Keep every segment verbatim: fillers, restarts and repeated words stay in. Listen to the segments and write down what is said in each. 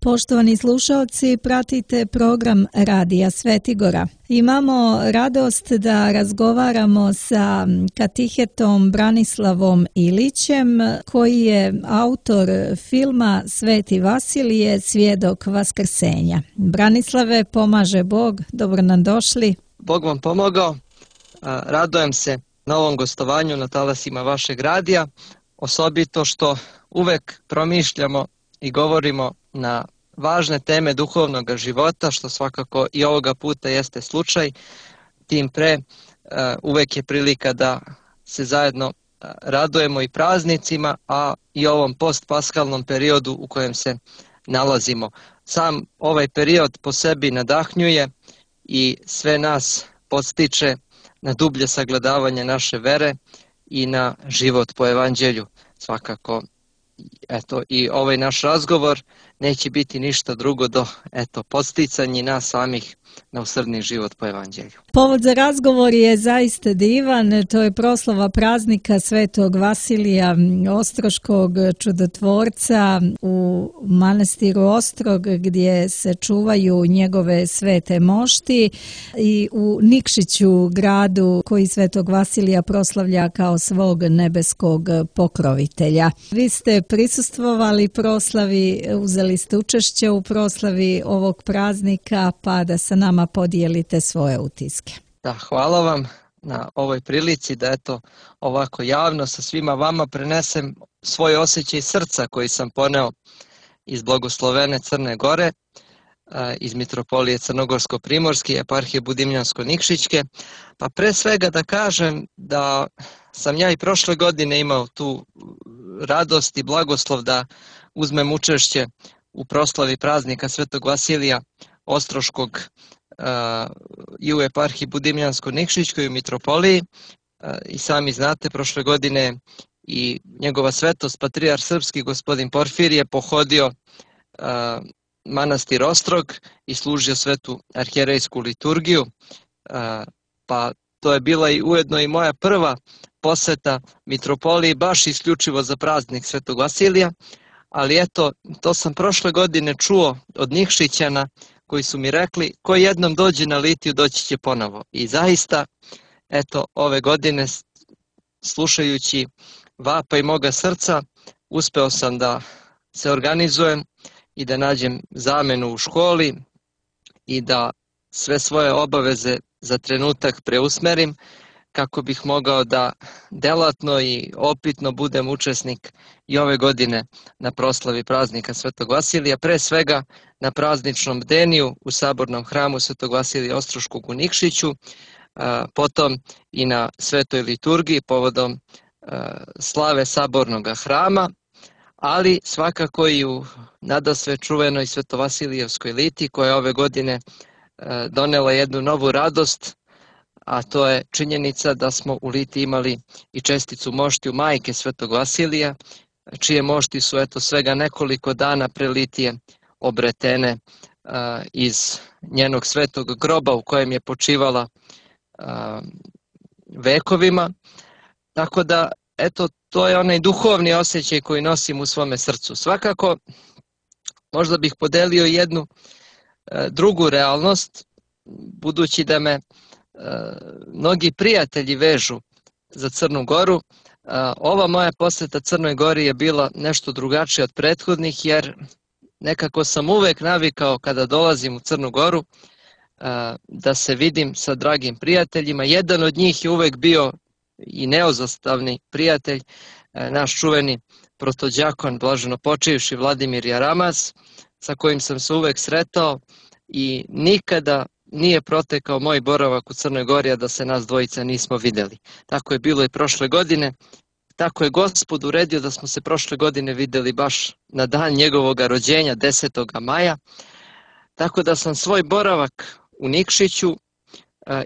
Poštovani slušalci, pratite program Radija Svetigora. Imamo radost da razgovaramo sa katehetom Branislavom Ilićem, koji je autor filma Sveti Vasilije, svjedok vaskrsenja. Branislave, pomaže Bog, dobro nam došli. Bog vam pomogao. Radujem se na ovom gostovanju na talasima vašeg radija, osobito što uvek promišljamo i govorimo na važne teme duhovnog života, što svakako i ovoga puta jeste slučaj. Tim pre, uvek je prilika da se zajedno radujemo i praznicima, a i ovom postpaskalnom periodu u kojem se nalazimo. Sam ovaj period po sebi nadahnjuje i sve nas podstiče na dublje sagledavanje naše vere i na život po evanđelju. Svakako, eto, i ovaj naš razgovor neće biti ništa drugo do, eto, podsticanje nas samih na usrdni život po evanđelju. Povod za razgovor je zaista divan, to je proslava praznika Svetog Vasilija Ostroškog čudotvorca u manastiru Ostrog, gdje se čuvaju njegove svete mošti, i u Nikšiću, gradu koji Svetog Vasilija proslavlja kao svog nebeskog pokrovitelja. Vi ste prisustvovali proslavi, uzeli ste učešće u proslavi ovog praznika, pa da sa nama podijelite svoje utiske. Da, hvala vam na ovoj prilici da eto ovako javno sa svima vama prenesem svoj osjećaj srca koji sam poneo iz blagoslovene Crne Gore, iz Mitropolije Crnogorsko-Primorske, eparhije Budimljansko-Nikšićke. Pa pre svega da kažem da sam ja i prošle godine imao tu radost i blagoslov da uzmem učešće u proslavi praznika Svetog Vasilija Ostroškog i u eparhiji Budimljansko-Nikšićkoj u Mitropoliji. I sami znate, prošle godine i njegova svetost patrijarh srpski gospodin Porfirije pohodio manastir Ostrog i služio svetu arhijerejsku liturgiju, pa to je bila i ujedno i moja prva poseta Mitropoliji baš isključivo za praznik Svetog Vasilija, ali eto, to sam prošle godine čuo od Nikšićana koji su mi rekli, ko jednom dođe na litiju, doći će ponovo. I zaista, eto, ove godine, slušajući vapaj moga srca, uspeo sam da se organizujem i da nađem zamenu u školi i da sve svoje obaveze za trenutak preusmerim kako bih mogao da delatno i opitno budem učesnik i ove godine na proslavi praznika Svetog Vasilija, pre svega na prazničnom bdeniju u sabornom hramu Svetog Vasilija Ostroškog u Nikšiću, potom i na svetoj liturgiji povodom slave sabornog hrama, ali svakako i u nadasve čuvenoj Svetovasilijevskoj liti koja je ove godine donela jednu novu radost, a to je činjenica da smo u liti imali i česticu moštiju majke Svetog Vasilija, čije mošti su eto svega nekoliko dana pre litije obretene a, iz njenog svetog groba u kojem je počivala a, vekovima. Tako da, eto, to je onaj duhovni osjećaj koji nosim u svome srcu. Svakako, možda bih podelio jednu a, drugu realnost, budući da me mnogi prijatelji vežu za Crnu Goru. Ova moja poseta Crnoj Gori je bila nešto drugačija od prethodnih, jer nekako sam uvek navikao kada dolazim u Crnu Goru da se vidim sa dragim prijateljima. Jedan od njih je uvek bio i neozostavni prijatelj, naš čuveni protođakon, blaženo počivši Vladimir Jaramaz, sa kojim sam se uvek sretao i nikada nije protekao moj boravak u Crnoj Gori, a da se nas dvojica nismo videli. Tako je bilo i prošle godine. Tako je Gospod uredio da smo se prošle godine videli baš na dan njegovog rođenja, desetog maja. Tako da sam svoj boravak u Nikšiću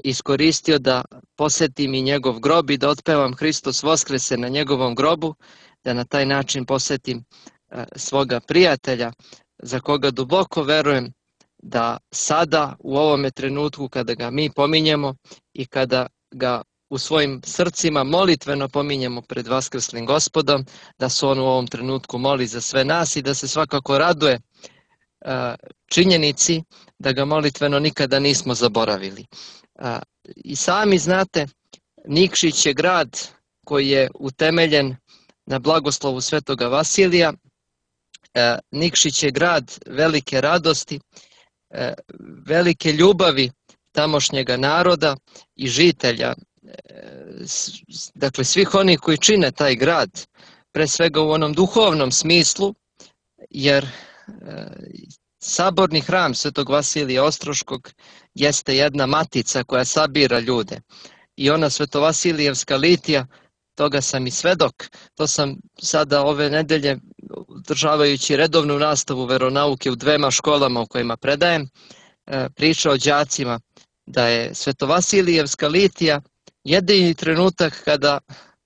iskoristio da posetim i njegov grob i da otpevam Hristos Voskrese na njegovom grobu, da na taj način posetim svoga prijatelja za koga duboko verujem da sada u ovome trenutku kada ga mi pominjemo i kada ga u svojim srcima molitveno pominjemo pred Vaskrslim Gospodom, da se on u ovom trenutku moli za sve nas i da se svakako raduje činjenici da ga molitveno nikada nismo zaboravili. I sami znate, Nikšić je grad koji je utemeljen na blagoslovu svetoga Vasilija. Nikšić je grad velike radosti, velike ljubavi tamošnjega naroda i žitelja, dakle svih onih koji čine taj grad, pre svega u onom duhovnom smislu, jer saborni hram svetog Vasilija Ostroškog jeste jedna matica koja sabira ljude. I ona Svetovasilijevska litija, toga sam i svedok, to sam sada ove nedelje, održavajući redovnu nastavu veronauke u dvema školama u kojima predajem, pričao đacima da je Svetovasilijevska litija jedini trenutak kada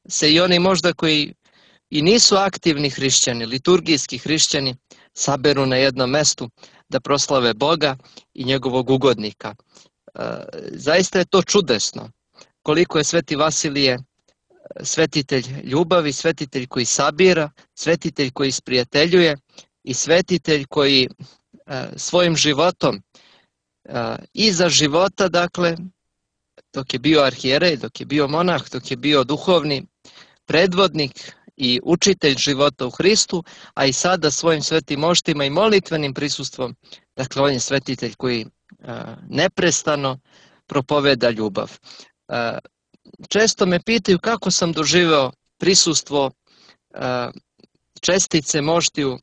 se i oni možda koji i nisu aktivni hrišćani, liturgijski hrišćani, saberu na jednom mestu da proslave Boga i njegovog ugodnika. Zaista je to čudesno. Koliko je sveti Vasilije svetitelj ljubavi, svetitelj koji sabira, svetitelj koji isprijateljuje i svetitelj koji svojim životom i za života, dakle, dok je bio arhijerej, dok je bio monah, dok je bio duhovni predvodnik i učitelj života u Hristu, a i sada svojim svetim moštima i molitvenim prisustvom, dakle, on je svetitelj koji neprestano propoveda ljubav. Često me pitaju kako sam doživeo prisustvo čestice moštiju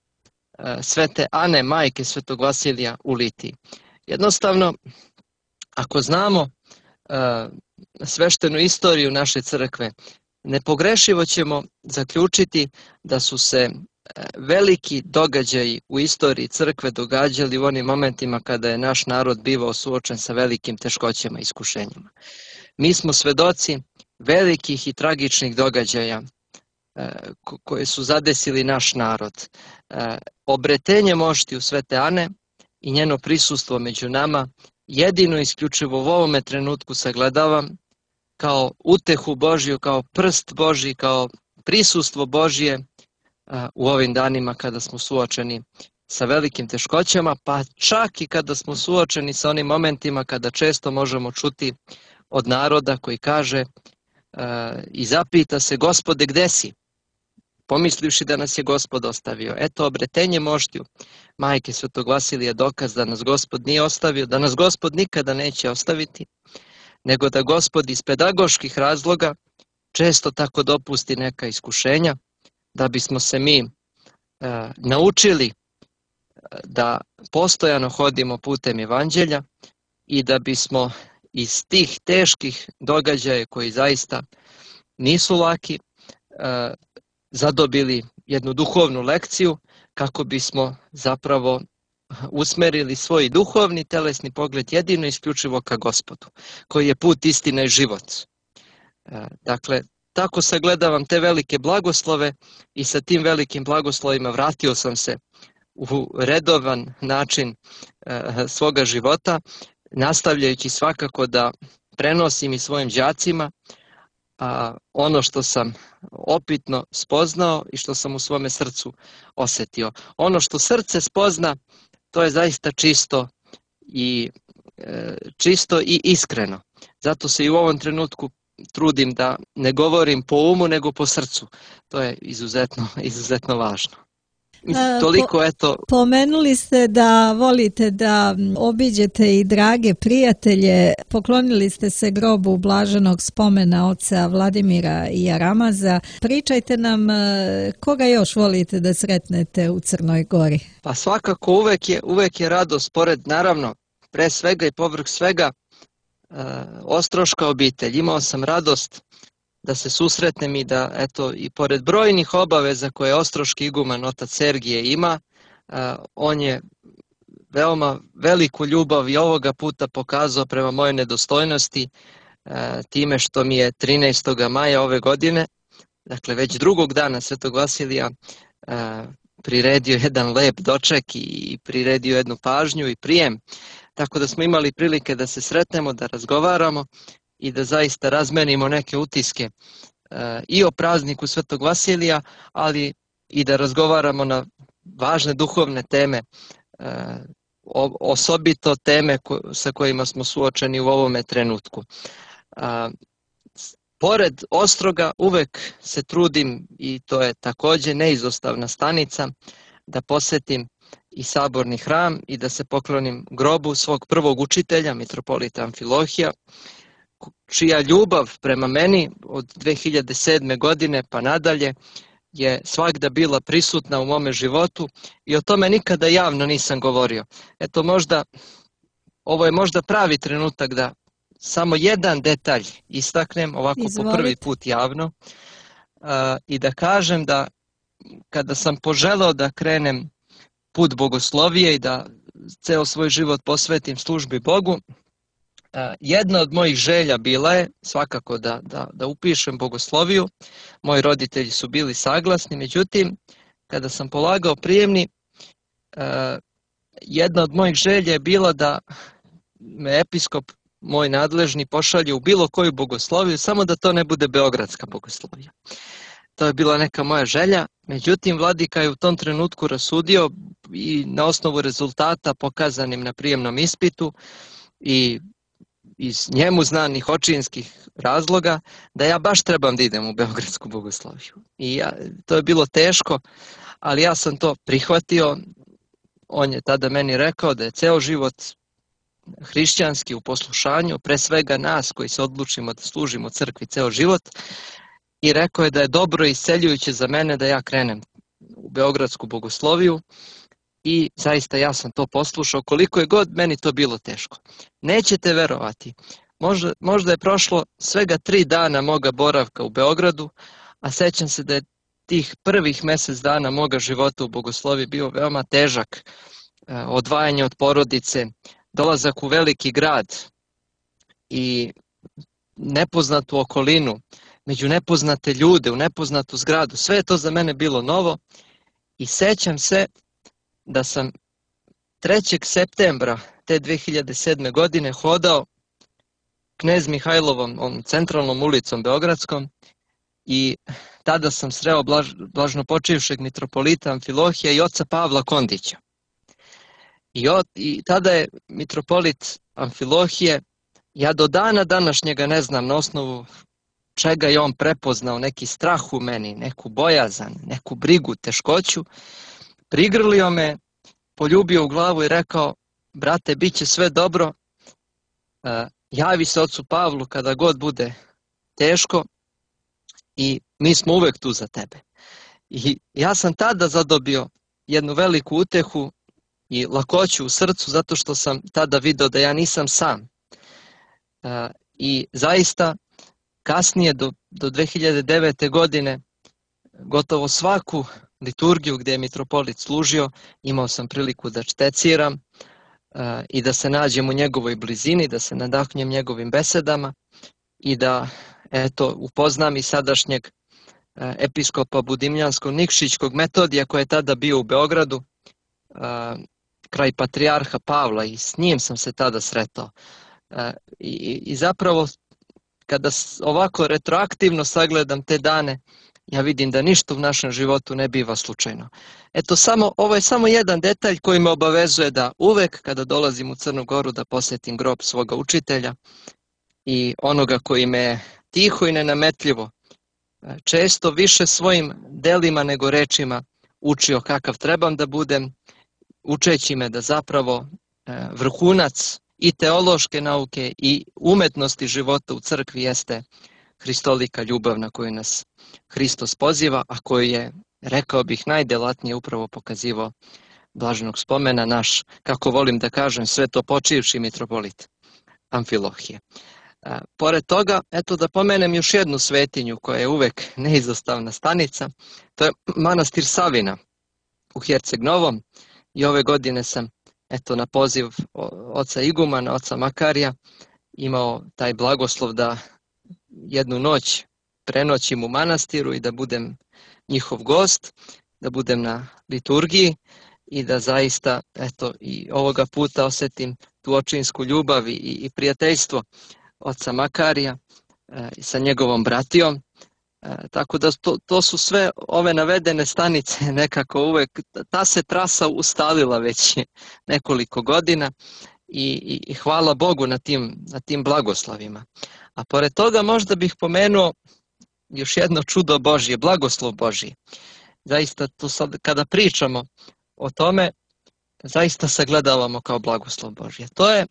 svete Ane, majke svetog Vasilija u litiji. Jednostavno, ako znamo sveštenu istoriju naše crkve, nepogrešivo ćemo zaključiti da su se veliki događaji u istoriji crkve događali u onim momentima kada je naš narod bivao suočen sa velikim teškoćama i iskušenjima. Mi smo svedoci velikih i tragičnih događaja koje su zadesili naš narod. Obretenje moštiju svete Ane i njeno prisustvo među nama jedino isključivo u ovome trenutku sagledavam kao utehu Božju, kao prst Božji, kao prisustvo Božje u ovim danima kada smo suočeni sa velikim teškoćama, pa čak i kada smo suočeni sa onim momentima kada često možemo čuti od naroda koji kaže i zapita se: Gospode, gde si? Pomislivši da nas je Gospod ostavio. Eto, obretenje moštiju majke svetog Vasilija dokaz da nas Gospod nije ostavio, da nas Gospod nikada neće ostaviti, nego da Gospod iz pedagoških razloga često tako dopusti neka iskušenja, da bismo se mi e, naučili da postojano hodimo putem evanđelja i da bismo iz tih teških događaja koji zaista nisu laki e, zadobili jednu duhovnu lekciju kako bismo zapravo usmerili svoj duhovni telesni pogled jedino isključivo ka Gospodu, koji je put, istina i život. Dakle, tako sagledavam te velike blagoslove i sa tim velikim blagoslovima vratio sam se u redovan način svoga života, nastavljajući svakako da prenosim i svojim đacima a ono što sam opitno spoznao i što sam u svome srcu osetio. Ono što srce spozna, to je zaista čisto i, e, čisto i iskreno. Zato se i u ovom trenutku trudim da ne govorim po umu nego po srcu. To je izuzetno, izuzetno važno. Toliko, eto. Pomenuli ste da volite da obiđete i drage prijatelje. Poklonili ste se grobu blaženog spomena oca Vladimira Jaramaza. Pričajte nam koga još volite da sretnete u Crnoj Gori. Pa svakako uvek je, uvek je radost, pored naravno pre svega i povrh svega ostroška obitelj. Imao sam radost da se susretnem i da, eto, i pored brojnih obaveza koje ostroški iguman otac Sergije ima, on je veoma veliku ljubav i ovoga puta pokazao prema mojoj nedostojnosti time što mi je trinaestog maja ove godine, dakle već drugog dana svetog Vasilija, priredio jedan lep doček i priredio jednu pažnju i prijem, tako da smo imali prilike da se sretnemo, da razgovaramo i da zaista razmenimo neke utiske e, i o prazniku svetog Vasilija, ali i da razgovaramo na važne duhovne teme osobito teme sa kojima smo suočeni u ovome trenutku. Pored Ostroga uvek se trudim, i to je također neizostavna stanica, da posetim i saborni hram i da se poklonim grobu svog prvog učitelja, mitropolita Amfilohija, čija ljubav prema meni od dve hiljade sedme. godine pa nadalje je svagda bila prisutna u mome životu i o tome nikada javno nisam govorio. Eto, možda, ovo je možda pravi trenutak da samo jedan detalj istaknem ovako Izvolite. Po prvi put javno uh, i da kažem da kada sam poželeo da krenem put bogoslovije i da ceo svoj život posvetim službi Bogu, uh, jedna od mojih želja bila je svakako da, da, da upišem bogosloviju. Moji roditelji su bili saglasni, međutim, kada sam polagao prijemni, uh, jedna od mojih želja je bila da me episkop moj nadležni pošalje u bilo koju bogosloviju, samo da to ne bude beogradska bogoslovija. To je bila neka moja želja, međutim vladika je u tom trenutku rasudio i na osnovu rezultata pokazanim na prijemnom ispitu i iz njemu znanih očinskih razloga da ja baš trebam da idem u beogradsku bogosloviju. I ja, to je bilo teško, ali ja sam to prihvatio. On je tada meni rekao da je ceo život hrišćanski u poslušanju, pre svega nas koji se odlučimo da služimo crkvi ceo život, i rekao je da je dobro i isceljujuće za mene da ja krenem u beogradsku bogosloviju i zaista ja sam to poslušao koliko je god meni to bilo teško. Nećete verovati, možda, možda je prošlo svega tri dana moga boravka u Beogradu, a sećam se da je tih prvih mjesec dana moga života u bogosloviji bio veoma težak, odvajanje od porodice, dolazak u veliki grad i nepoznatu okolinu, među nepoznate ljude, u nepoznatu zgradu. Sve je to za mene bilo novo i sećam se da sam trećeg septembra te dve hiljade sedme. godine hodao Knez Mihajlovom, ovom centralnom ulicom beogradskom, i tada sam sreo blaž, blažnopočivšeg mitropolita Amfilohija i oca Pavla Kondića. I, od, I tada je mitropolit Amfilohije, ja do dana današnjega ne znam na osnovu čega je on prepoznao neki strah u meni, neku bojazan, neku brigu, teškoću, prigrlio me, poljubio u glavu i rekao: brate, bit će sve dobro, uh, javi se ocu Pavlu kada god bude teško i mi smo uvek tu za tebe. I ja sam tada zadobio jednu veliku utehu i lakoću u srcu, zato što sam tada video da ja nisam sam. Uh, I zaista kasnije do, do dve hiljade devete. godine gotovo svaku liturgiju gdje je mitropolit služio imao sam priliku da šteciram uh, i da se nađem u njegovoj blizini, da se nadahnjem njegovim besedama i da eto upoznam i sadašnjeg uh, episkopa Budimljanskog Nikšićkog Metodija koji je tada bio u Beogradu uh, kraj patrijarha Pavla i s njim sam se tada sretao. Uh, i, I zapravo kada ovako retroaktivno sagledam te dane, ja vidim da ništa u našem životu ne biva slučajno. Eto, samo, ovo je samo jedan detalj koji me obavezuje da uvek kada dolazim u Crnu Goru da posjetim grob svoga učitelja i onoga koji me tiho i nenametljivo, često više svojim delima nego rečima učio kakav trebam da budem, učeći me da zapravo vrhunac i teološke nauke i umetnosti života u crkvi jeste hristolika ljubav na koju nas Hristos poziva, a koju je, rekao bih, najdelatnije upravo pokazivao blaženog spomena naš, kako volim da kažem, svetopočivši mitropolit Amfilohije. A, pored toga, eto da pomenem još jednu svetinju koja je uvek neizostavna stanica, to je manastir Savina u Herceg Novom i ove godine sam eto na poziv oca Igumana, oca Makarija, imao taj blagoslov da jednu noć prenoćim u manastiru i da budem njihov gost, da budem na liturgiji i da zaista eto i ovoga puta osjetim tu očinsku ljubav i, i prijateljstvo oca Makarija e, sa njegovom bratijom E, tako da to, to su sve ove navedene stanice nekako uvek, ta se trasa ustalila već nekoliko godina i, i, i hvala Bogu na tim, na tim blagoslovima. A pored toga možda bih pomenuo još jedno čudo Božje, blagoslov Božji. Zaista to sad kada pričamo o tome, zaista sagledavamo kao blagoslov Božje. To je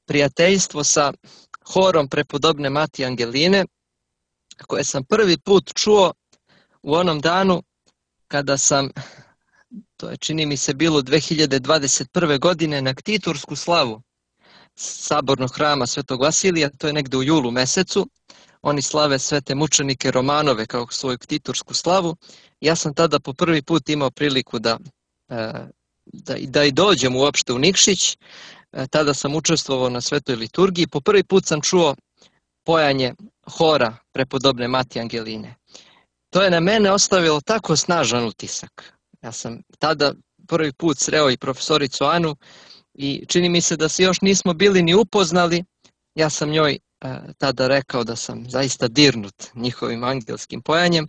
prijateljstvo sa horom prepodobne Matije Angeline, koje sam prvi put čuo u onom danu kada sam, to je čini mi se bilo dve hiljade dvadeset prve. godine, na ktitursku slavu Sabornog hrama Svetog Vasilija, to je negde u julu mesecu. Oni slave svete mučenike Romanove kao svoju ktitursku slavu. Ja sam tada po prvi put imao priliku da, da, da i dođem uopšte u Nikšić. Tada sam učestvovao na svetoj liturgiji. Po prvi put sam čuo pojanje hora prepodobne Matije Angeline. To je na mene ostavilo tako snažan utisak. Ja sam tada prvi put sreo i profesoricu Anu i čini mi se da se još nismo bili ni upoznali. Ja sam njoj e, tada rekao da sam zaista dirnut njihovim angelskim pojanjem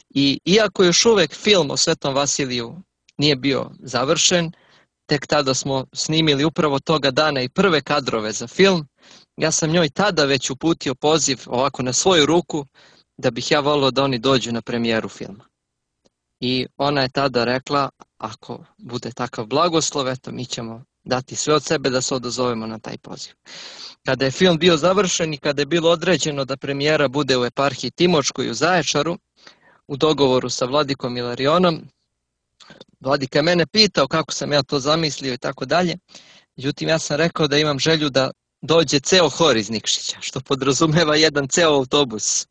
i iako još uvek film o Svetom Vasiliju nije bio završen, tek tada smo snimili upravo toga dana i prve kadrove za film, ja sam njoj tada već uputio poziv ovako na svoju ruku da bih ja volio da oni dođu na premijeru filma. I ona je tada rekla, ako bude takav blagoslov, eto mi ćemo dati sve od sebe da se odazovemo na taj poziv. Kada je film bio završen i kada je bilo određeno da premijera bude u eparhiji Timočkoj u Zaječaru, u dogovoru sa vladikom Ilarionom, vladika je mene pitao kako sam ja to zamislio i tako dalje. Međutim, ja sam rekao da imam želju da dođe ceo hor iz Nikšića, što podrazumeva jedan ceo autobus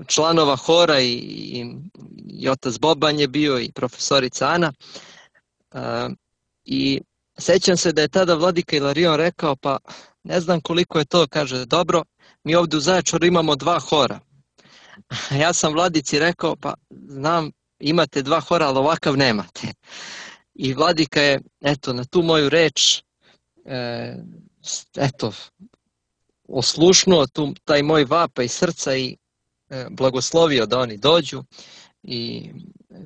članova hora i, i, i otac Boban je bio i profesorica Ana. I sećam se da je tada vladika Ilarion rekao, pa ne znam koliko je to, kaže, dobro, mi ovdje u Zaječaru imamo dva hora. Ja sam vladici rekao, pa znam, imate dva hora, ali ovakav nemate. I vladika je, eto, na tu moju reč, e, eto, oslušnuo tu, taj moj vapaj srca i e, blagoslovio da oni dođu i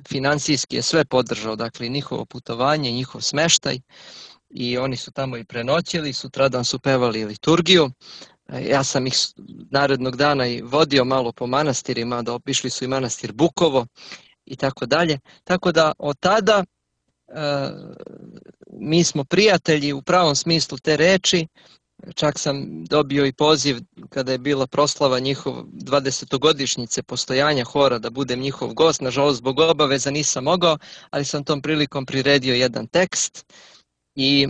financijski je sve podržao, dakle, njihovo putovanje, njihov smeštaj i oni su tamo i prenoćili, sutradan su pevali liturgiju. Ja sam ih narednog dana i vodio malo po manastirima, da obišli su i manastir Bukovo i tako dalje. Tako da od tada e, mi smo prijatelji u pravom smislu te reči. Čak sam dobio i poziv kada je bila proslava njihov dvadesetogodišnjice postojanja hora da budem njihov gost. Nažalost, zbog obaveza nisam mogao, ali sam tom prilikom priredio jedan tekst i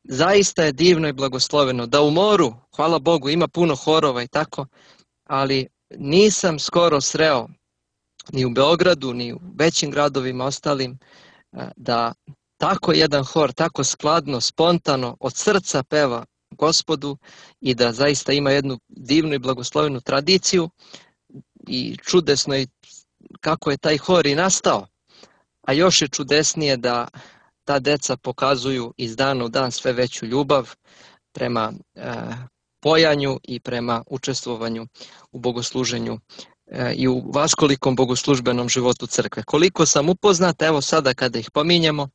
zaista je divno i blagosloveno da u moru, hvala Bogu, ima puno horova i tako, ali nisam skoro sreo ni u Beogradu, ni u većim gradovima ostalim, da tako jedan hor, tako skladno, spontano, od srca peva Gospodu i da zaista ima jednu divnu i blagoslovenu tradiciju i čudesno je kako je taj hor i nastao. A još je čudesnije da ta deca pokazuju iz dana u dan sve veću ljubav prema e, pojanju i prema učestvovanju u bogosluženju e, i u vaskolikom bogoslužbenom životu crkve. Koliko sam upoznat, evo sada kada ih pominjemo,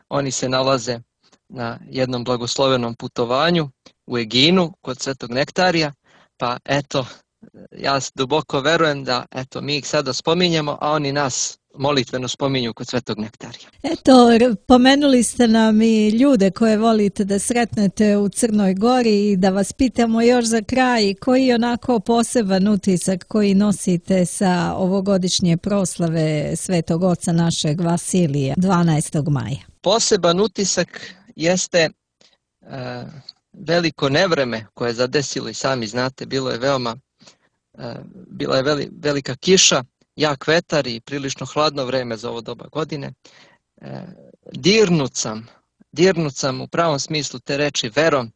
oni se nalaze na jednom blagoslovenom putovanju u Eginu kod Svetog Nektarija, pa eto, ja duboko verujem da eto, mi ih sada spominjemo, a oni nas molitveno spominju kod Svetog Nektarija. Eto, pomenuli ste nam i ljude koje volite da sretnete u Crnoj Gori i da vas pitamo još za kraj koji je onako poseban utisak koji nosite sa ovogodišnje proslave Svetog Oca našeg Vasilija dvanaestog maja. Poseban utisak jeste e, veliko nevreme koje je zadesilo i sami znate, bilo je veoma, e, bila je veli, velika kiša, jak vetar i prilično hladno vreme za ovo doba godine. E, dirnut sam, dirnut sam u pravom smislu te reči verom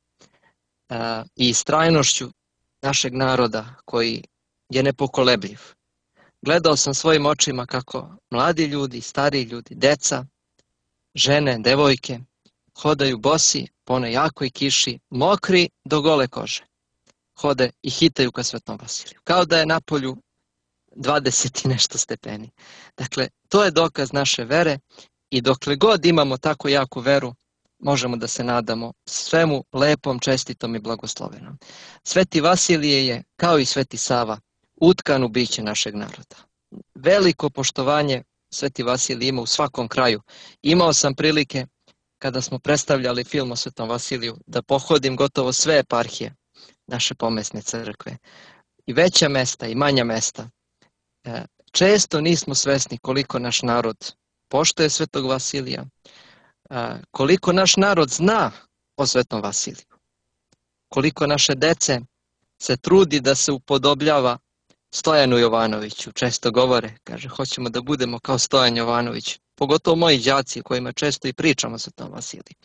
e, i istrajnošću našeg naroda koji je nepokolebljiv. Gledao sam svojim očima kako mladi ljudi, stariji ljudi, deca, žene, devojke hodaju bosi po onoj jakoj kiši, mokri do gole kože. hode i hitaju ka Svetom Vasiliju. Kao da je napolju dvadeset i nešto stepeni. Dakle, to je dokaz naše vere i dokle god imamo tako jaku veru, možemo da se nadamo svemu lepom, čestitom i blagoslovenom. Sveti Vasilije je, kao i Sveti Sava, utkan u biće našeg naroda. Veliko poštovanje Sveti Vasilij ima u svakom kraju. Imao sam prilike, kada smo predstavljali film o Svetom Vasiliju, da pohodim gotovo sve eparhije naše pomesne crkve. I veća mesta i manja mesta. Često nismo svesni koliko naš narod poštuje Svetog Vasilija, koliko naš narod zna o Svetom Vasiliju, koliko naše dece se trudi da se upodobljava Stojanu Jovanoviću. Često govore, kaže, hoćemo da budemo kao Stojan Jovanović, pogotovo moji đaci kojima često i pričamo o Svetom Vasiliju.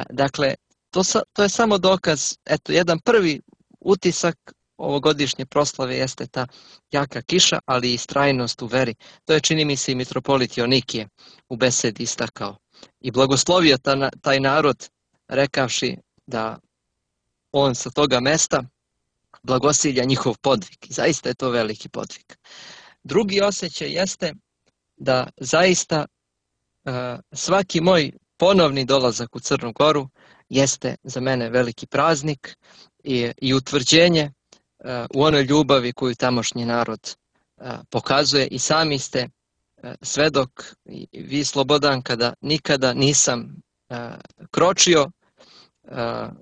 Dakle, to, sa, to je samo dokaz, eto, jedan prvi utisak ovogodišnje proslave jeste ta jaka kiša, ali i istrajnost u veri. To je, čini mi se, i mitropolit Jonikije u besedi istakao. I blagoslovio ta, taj narod, rekavši da on sa toga mesta blagosilja njihov podvig. I zaista je to veliki podvig. Drugi osjećaj jeste da zaista uh, svaki moj ponovni dolazak u Crnu Goru jeste za mene veliki praznik i, i utvrđenje uh, u onoj ljubavi koju tamošnji narod uh, pokazuje. I sami ste uh, svedok, i vi Slobodan, kada nikada nisam uh, kročio uh,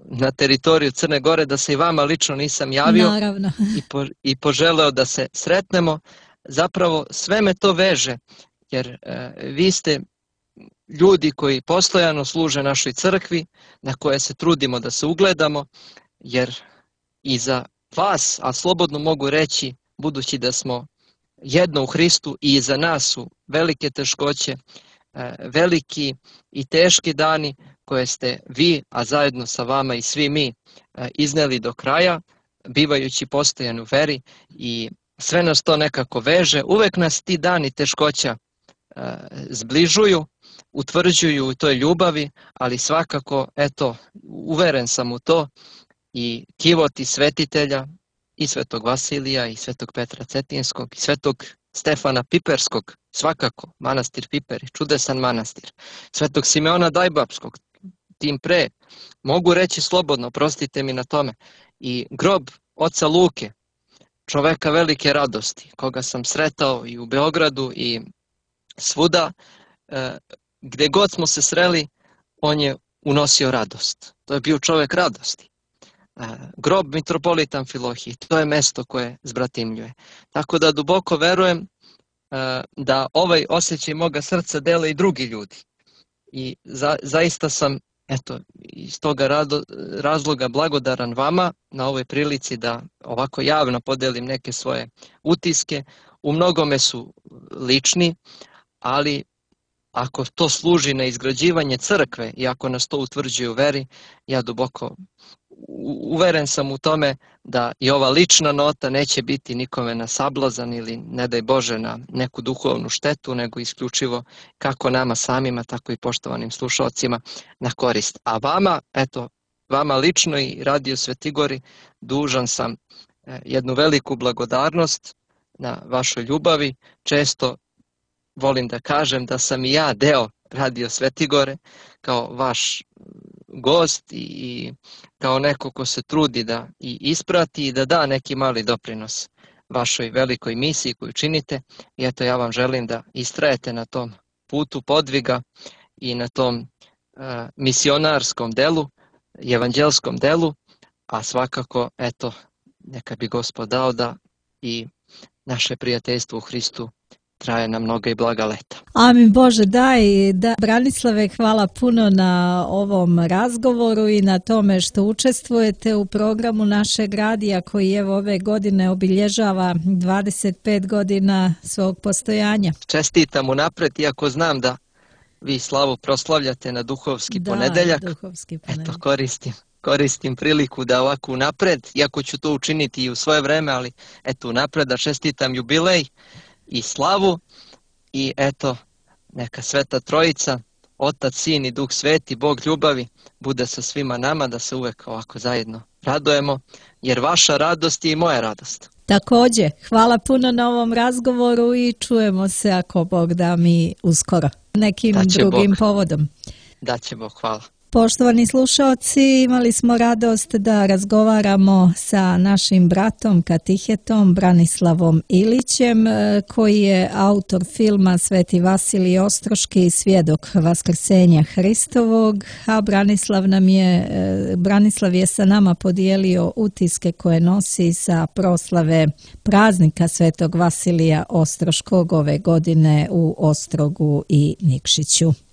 na teritoriju Crne Gore, da se i vama lično nisam javio i, po, i poželeo da se sretnemo. Zapravo sve me to veže, jer uh, vi ste ljudi koji postojano služe našoj crkvi, na koje se trudimo da se ugledamo, jer i za vas, a slobodno mogu reći, budući da smo jedno u Hristu, i za nas su velike teškoće, veliki i teški dani koje ste vi, a zajedno sa vama i svi mi, izneli do kraja, bivajući postojan u veri, i sve nas to nekako veže. Uvek nas ti dani teškoća zbližuju, utvrđuju u toj ljubavi, ali svakako, eto, uveren sam u to, i kivoti svetitelja, i Svetog Vasilija, i Svetog Petra Cetinskog, i Svetog Stefana Piperskog, svakako, manastir Piperi, čudesan manastir, Svetog Simeona Dajbapskog, tim pre, mogu reći slobodno, prostite mi na tome, i grob oca Luke, čoveka velike radosti, koga sam sretao i u Beogradu i svuda, gde god smo se sreli, on je unosio radost. To je bio čovek radosti. Grob mitropolita Amfilohije, to je mesto koje zbratimljuje. Tako da duboko verujem da ovaj osjećaj moga srca dele i drugi ljudi. I za, zaista sam, eto, iz toga rado, razloga blagodaran vama na ovoj prilici da ovako javno podelim neke svoje utiske. U mnogome su lični, ali ako to služi na izgrađivanje crkve i ako nas to utvrđuje u veri, ja duboko uveren sam u tome da i ova lična nota neće biti nikome na sablazan ili, ne daj Bože, na neku duhovnu štetu, nego isključivo kako nama samima, tako i poštovanim slušalcima na korist. A vama, eto, vama lično i Radio Svetigori dužan sam jednu veliku blagodarnost na vašoj ljubavi. Često volim da kažem da sam i ja deo Radio Svetigore kao vaš gost i kao neko ko se trudi da i isprati i da da neki mali doprinos vašoj velikoj misiji koju činite. I eto, ja vam želim da istrajete na tom putu podviga i na tom uh, misionarskom delu, evanđelskom delu, a svakako, eto, neka bi Gospod dao da i naše prijateljstvo u Hristu traje na mnoga i blaga leta. Amin Bože, daj, da. Branislave, hvala puno na ovom razgovoru i na tome što učestvujete u programu našeg radija koji evo ove godine obilježava dvadeset pet godina svog postojanja. Čestitam unapred, iako znam da vi slavu proslavljate na duhovski da, ponedeljak. duhovski ponedeljak. Eto, koristim. Koristim priliku da ovako unapred, iako ću to učiniti i u svoje vreme, ali eto unapred da čestitam jubilej i slavu, i eto, neka Sveta Trojica, Otac, Sin i Duh Sveti, Bog ljubavi, bude sa svima nama, da se uvek ovako zajedno radujemo, jer vaša radost je i moja radost. Također, hvala puno na ovom razgovoru i čujemo se ako Bog da mi uskoro nekim drugim Bog. povodom. Da će Bog, hvala. Poštovani slušalci, imali smo radost da razgovaramo sa našim bratom katehetom Branislavom Ilićem, koji je autor filma Sveti Vasilij Ostroški, svjedok Vaskrsenja Hristovog, a Branislav nam je, Branislav je sa nama podijelio utiske koje nosi sa proslave praznika Svetog Vasilija Ostroškog ove godine u Ostrogu i Nikšiću.